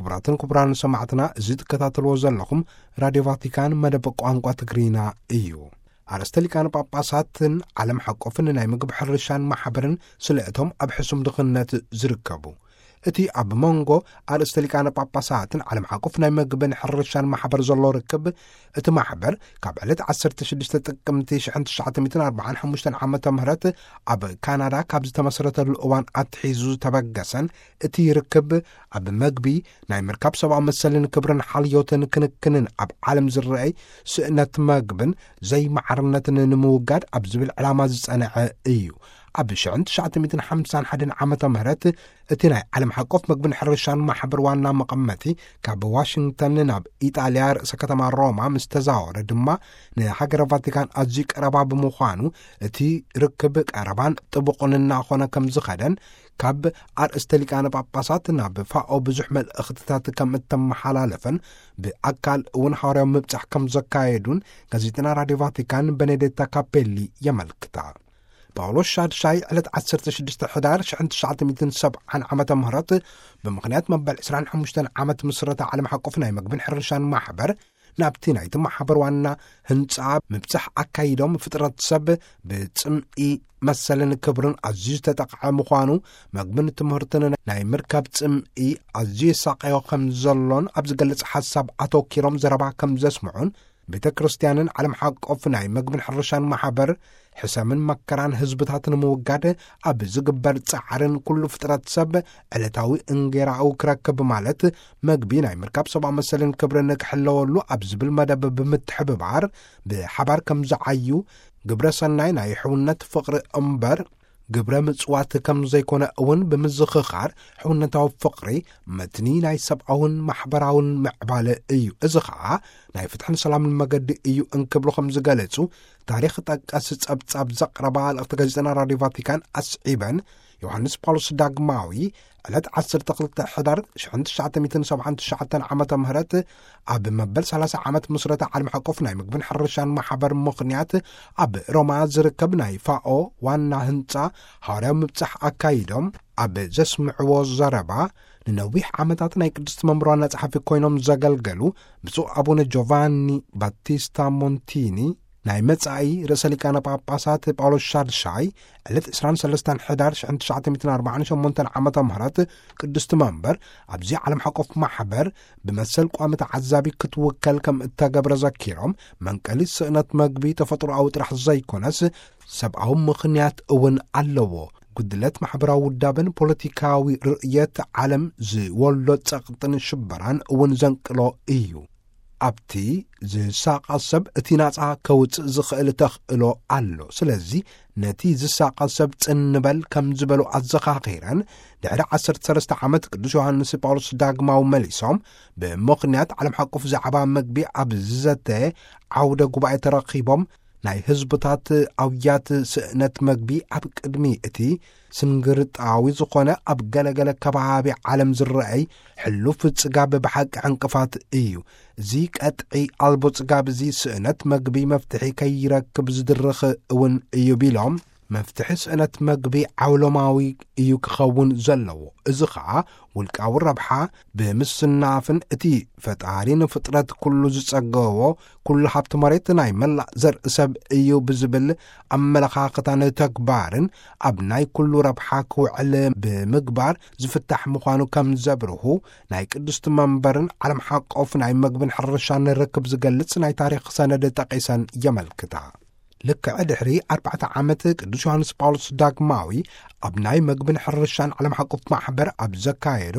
ክቡራትን ክቡራን ሰማዕትና፣ እዚ ትከታተልዎ ዘለኹም ራድዮ ቫቲካን መደብ ቋንቋ ትግርኛ እዩ። ኣርእስተ ሊቃነ ጳጳሳትን ዓለም ሓቆፍን ናይ ምግቢ ሕርሻን ማሕበርን ስለ እቶም ኣብ ሕሱም ድኽነት ዝርከቡ። እቲ ኣብ መንጎ ኣርእስተ ሊቃነ ጳጳሳትን ዓለም ሓቆፍ ናይ ምግብን ሕርሻን ማሕበር ዘሎ ርክብ፣ እቲ ማሕበር ካብ ዕለት ዓሰርተ ሽዱሽተ ጥቅምቲ ሽሕን ትሽዓተ ሚእትን ኣርባዓን ሓሙሽተን ዓመተ ምህረት ኣብ ካናዳ ካብ ዝተመስረተሉ እዋን ኣትሒዙ ዝተበገሰን፣ እቲ ርክብ ኣብ መግቢ፣ ናይ ምርካብ ሰብኣዊ መሰልን ክብርን ሓልዮትን ክንክንን ኣብ ዓለም ዝረኣይ ስእነት መግብን ዘይማዕርነትን ንምውጋድ ኣብ ዝብል ዕላማ ዝጸንዐ እዩ። ኣብ ሽሕን ትሽዓተ ሚእትን ሓምሳን ሓደን ዓመተ ምህረት እቲ ናይ ዓለም ሓቆፍ መግብን ሕርሻን ማሕበር ዋና መቐመጢ ካብ ዋሽንግተን ናብ ኢጣልያ ርእሰ ከተማ ሮማ ምስ ተዛወረ ድማ፣ ንሃገረ ቫቲካን ኣዝዩ ቀረባ ብምዃኑ፣ እቲ ርክብ ቀረባን ጥቡቕን እናኾነ ከም ዝኸደን፣ ካብ ኣርእስተ ሊቃነ ጳጳሳት ናብ ፋኦ ብዙሕ መልእኽትታት ከም እተመሓላለፈን፣ ብኣካል እውን ሃዋርያዊ ምብጻሕ ከም ዘካየዱን ጋዜጠና ራድዮ ቫቲካን በኔዴታ ካፔሊ የመልክታ። ጳውሎስ ሻድሻይ ዕለት ዓሰርተ ሽዱሽተ ሕዳር ሽሕን ትሽዓተ ሚእትን ሰብዓን ዓመተ ምህረት፣ ብምኽንያት መበል ዕስራን ሓሙሽተን ዓመት ምስረታ ዓለም ሓቆፍ ናይ መግብን ሕርሻን ማሕበር፣ ናብቲ ናይቲ ማሕበር ዋና ህንጻ ምብጻሕ ኣካይዶም፣ ፍጥረት ሰብ ብጽምኢ መሰልን ክብርን ኣዝዩ ዝተጠቕዐ ምዃኑ፣ መግብን ትምህርትን ናይ ምርካብ ጽምኢ ኣዝዩ የሳቐዮ ከም ዘሎን ኣብ ዝገልጽ ሓሳብ ኣተኪሮም ዘረባ ከም ዘስምዑን፣ ቤተ ክርስቲያንን ዓለም ሓቆፍ ናይ መግብን ሕርሻን ማሕበር ሕሰምን መከራን ህዝብታት ንምውጋድ ኣብ ዝግበር ጻዕርን፣ ኩሉ ፍጥረት ሰብ ዕለታዊ እንጌራኡ ክረክብ ማለት መግቢ ናይ ምርካብ ሰብኣዊ መሰልን ክብርን ክሕለወሉ ኣብ ዝብል መደብ ብምትሕብባር፣ ብሓባር ከም ዝዓዩ፣ ግብረ ሰናይ ናይ ሕውነት ፍቕሪ እምበር ግብረ ምጽዋት ከም ዘይኮነ እውን ብምዝኽኻር፣ ሕውነታዊ ፍቕሪ መትኒ ናይ ሰብኣውን ማሕበራውን ምዕባለ እዩ። እዚ ኸኣ ናይ ፍትሕን ሰላምን መገዲ እዩ እንክብሉ ከም ዝገለጹ፣ ታሪኽ ጠቀስ ጸብጻብ ዘቕረባ ልእኽቲ ጋዜጠና ራድዮ ቫቲካን ኣስዒበን፣ ዮሃንስ ጳውሎስ ዳግማዊ ዕለት ዓሰርተ ክልተ ሕዳር ሽሕን ትሽዓተ ሚእትን ሰብዓን ትሽዓተን ዓመተ ምህረት ኣብ መበል ሰላሳ ዓመት ምስረታ ዓለም ሓቆፍ ናይ ምግብን ሕርሻን ማሕበር ምኽንያት፣ ኣብ ሮማ ዝርከብ ናይ ፋኦ ዋና ህንጻ ሃዋርያዊ ምብጻሕ ኣካይዶም፣ ኣብ ዘስምዕዎ ዘረባ፣ ንነዊሕ ዓመታት ናይ ቅድስቲ መንበር ዋና ጸሓፊ ኮይኖም ዘገልገሉ ብፁዕ ኣቡነ ጆቫኒ ባቲስታ ሞንቲኒ፣ ናይ መጻኢ ርእሰ ሊቃነ ጳጳሳት ጳውሎስ ሻድሻይ ዕለት ዕስራን ሰለስተን ሕዳር ሽሕን ትሽዓተ ሚእትን ኣርባዓን ሸሞንተን ዓመተ ምህረት፣ ቅድስቲ መንበር ኣብዚ ዓለም ሓቆፍ ማሕበር ብመሰል ቋሚ ተዓዛቢ ክትውከል ከም እተገብረ ዘኪሮም፣ መንቀሊ ስእነት መግቢ ተፈጥሮኣዊ ጥራሕ ዘይኮነስ፣ ሰብኣዊ ምኽንያት እውን ኣለዎ። ጉድለት ማሕበራዊ ውዳበን ፖለቲካዊ ርእየት ዓለም ዝወልዶ ጸቕጥን ሽበራን እውን ዘንቅሎ እዩ። ኣብቲ ዝሳቐ ሰብ እቲ ናጻ ከውጽእ ዝኽእል ተኽእሎ ኣሎ። ስለዚ ነቲ ዝሳቐ ሰብ ጽን ንበል ከም ዝበሉ ኣዘኻኺረን፣ ድሕሪ ዓሰርተ ሰለስተ ዓመት ቅዱስ ዮሃንስ ጳውሎስ ዳግማዊ መሊሶም፣ ብምኽንያት ዓለም ሓቆፍ ዛዕባ መግቢ ኣብ ዝዘተ ዓውደ ጉባኤ ተረኺቦም፣ ናይ ህዝብታት ኣውያት ስእነት መግቢ ኣብ ቅድሚ እቲ ስንግርጣዊ ዝኾነ ኣብ ገለገለ ከባቢ ዓለም ዝረኣይ ሕሉፍ ጽጋብ ብሓቂ ዕንቅፋት እዩ። እዚ ቀጥዒ ኣልቦ ጽጋብ እዚ ስእነት መግቢ መፍትሒ ከይረክብ ዝድርኽ እውን እዩ ቢሎም፣ መፍትሒ ስእነት መግቢ ዓውሎማዊ እዩ ክኸውን ዘለዎ። እዚ ኸኣ ውልቃዊ ረብሓ ብምስናፍን እቲ ፈጣሪ ንፍጥረት ኩሉ ዝጸገቦ፣ ኩሉ ሃብቲ መሬት ናይ መላእ ዘርኢ ሰብ እዩ ብዝብል ኣመለኻኽታን ተግባርን ኣብ ናይ ኩሉ ረብሓ ክውዕል ብምግባር ዝፍታሕ ምዃኑ ከም ዘብርሁ ናይ ቅድስቲ መንበርን ዓለም ሓቆፍ ናይ መግብን ሕርሻን ርክብ ዝገልጽ ናይ ታሪኽ ሰነድ ጠቒሰን የመልክታ። ልክዕ ድሕሪ ኣርባዕተ ዓመት ቅዱስ ዮሃንስ ጳውሎስ ዳግማዊ ኣብ ናይ መግብን ሕርሻን ዓለም ሓቆፍ ማሕበር ኣብ ዘካየዶ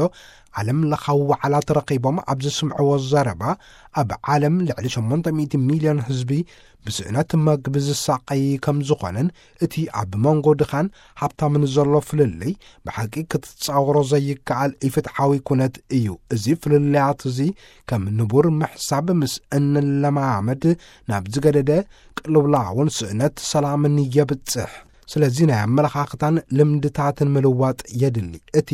ዓለም ለኻዊ ዋዕላ ተረኺቦም ኣብ ዘስምዕዎ ዘረባ፣ ኣብ ዓለም ልዕሊ ሸሞንተ ሚእቲ ሚልዮን ህዝቢ ብስእነት መግቢ ዝሳቐይ ከም ዝኾነን፣ እቲ ኣብ መንጎ ድኻን ሃብታምን ዘሎ ፍልልይ ብሓቂ ክትጻወሮ ዘይከኣል ኢፍትሓዊ ኩነት እዩ። እዚ ፍልልያት እዚ ከም ንቡር ምሕሳብ ምስ እንለማመድ፣ ናብ ዝገደደ ቅልውላውን ስእነት ሰላምን የብጽሕ። ስለዚ ናይ ኣመለኻኽታን ልምድታትን ምልዋጥ የድሊ። እቲ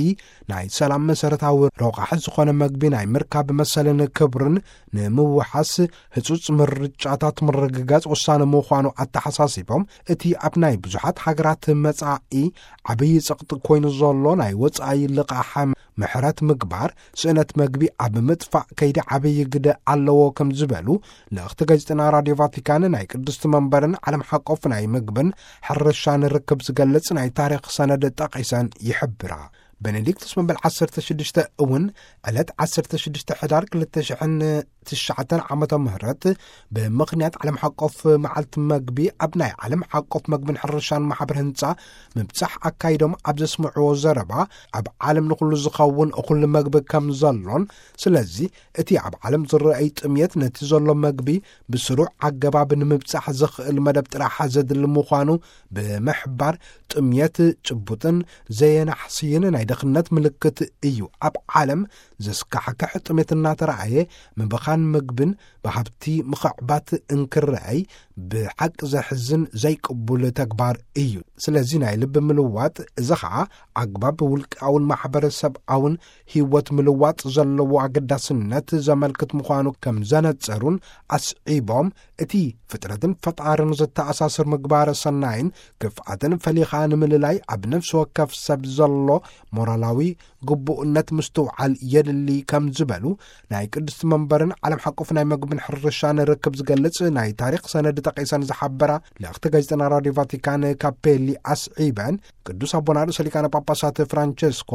ናይ ሰላም መሰረታዊ ረቋሒ ዝኾነ መግቢ ናይ ምርካብ መሰልን ክብርን ንምውሓስ ህጹጽ ምርጫታት ምርግጋጽ ወሳኒ ምዃኑ ኣተሓሳሲቦም፣ እቲ ኣብ ናይ ብዙሓት ሃገራት መጻኢ ዓብዪ ጸቕጢ ኮይኑ ዘሎ ናይ ወጻኢ ልቓሕ ምሕረት ምግባር፣ ስእነት መግቢ ኣብ ምጥፋእ ከይዲ ዓብዪ ግደ ኣለዎ ከም ዝበሉ ልእኽቲ ጋዜጠና ራድዮ ቫቲካን ናይ ቅድስቲ መንበርን ዓለም ሓቆፍ ናይ ምግብን ሕርሻን ርክብ ዝገልጽ ናይ ታሪኽ ሰነድ ጠቒሰን ይሕብራ። ቤኔዲክቱስ መበል ዓሰርተ ሽዱሽተ እውን ዕለት ዓሰርተ ሽዱሽተ ሕዳር ክልተ ሽሕን ትሽዓተን ዓመተ ምህረት ብምኽንያት ዓለም ሓቆፍ መዓልቲ መግቢ ኣብ ናይ ዓለም ሓቆፍ መግብን ሕርሻን ማሕበር ህንጻ ምብጻሕ ኣካይዶም ኣብ ዘስምዕዎ ዘረባ፣ ኣብ ዓለም ንኹሉ ዝኸውን እኹል መግቢ ከም ዘሎን፣ ስለዚ እቲ ኣብ ዓለም ዝረኣይ ጥምየት ነቲ ዘሎ መግቢ ብስሩዕ ኣገባብ ንምብጻሕ ዘኽእል መደብ ጥራሕ ዘድሊ ምዃኑ ብምሕባር፣ ጥምየት ጭቡጥን ዘየናሕስይን ናይ ድኽነት ምልክት እዩ። ኣብ ዓለም ዘስካሕክሕ ጥሜት እናተረኣየ፣ ምብኻን ምግብን ብሃብቲ ምኽዕባት እንክረኣይ ብሓቂ ዘሕዝን ዘይቅቡል ተግባር እዩ። ስለዚ ናይ ልቢ ምልዋጥ፣ እዚ ኸዓ ኣግባብ ውልቃውን ማሕበረሰብኣውን ህይወት ምልዋጥ ዘለዎ ኣገዳስነት ዘመልክት ምዃኑ ከም ዘነጸሩን ኣስዒቦም፣ እቲ ፍጥረትን ፈጣርን ዘተኣሳስር ምግባረ ሰናይን ክፍኣትን ፈሊኻ ንምልላይ ኣብ ነፍሲ ወከፍ ሰብ ዘሎ ሞራላዊ ግቡእነት ምስትውዓል የድሊ ከም ዝበሉ ናይ ቅድስቲ መንበርን ዓለም ሓቆፍ ናይ መግብን ሕርሻን ርክብ ዝገልጽ ናይ ታሪኽ ሰነድ ጠቒሰን ዝሓበራ ልእኽቲ ጋዜጠና ራድዮ ቫቲካን ካፔሊ ኣስዒበን፣ ቅዱስ ኣቦና ርእሰ ሊቃነ ጳጳሳት ፍራንቸስኮ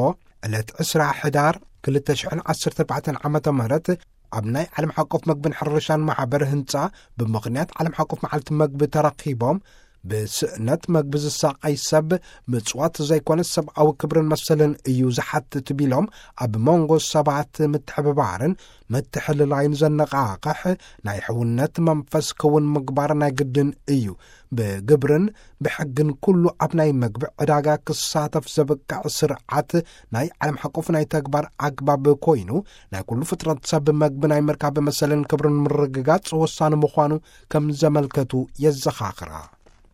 ዕለት ዕስራ ሕዳር ክልተ ሽሕን ዓሰርተ ኣርባዕተን ዓመተ ምህረት ኣብ ናይ ዓለም ሓቆፍ መግብን ሕርሻን ማሕበር ህንጻ ብምኽንያት ዓለም ሓቆፍ መዓልቲ መግቢ ተረኺቦም ብስእነት መግቢ ዝሳቐይ ሰብ ምጽዋት ዘይኮነ ሰብኣዊ ክብርን መሰልን እዩ ዝሓትት ቢሎም፣ ኣብ መንጎ ሰባት ምትሕብባርን ምትሕልላይን ዘነቓቕሕ ናይ ሕውነት መንፈስ ክውን ምግባር ናይ ግድን እዩ። ብግብርን ብሕግን ኩሉ ኣብ ናይ መግቢ ዕዳጋ ክሳተፍ ዘብቅዕ ስርዓት ናይ ዓለም ሓቆፍ ናይ ተግባር ኣግባብ ኮይኑ፣ ናይ ኩሉ ፍጥረት ሰብ መግቢ ናይ ምርካብ መሰልን ክብርን ምርግጋጽ ወሳኒ ምዃኑ ከም ዘመልከቱ የዘኻኽራ።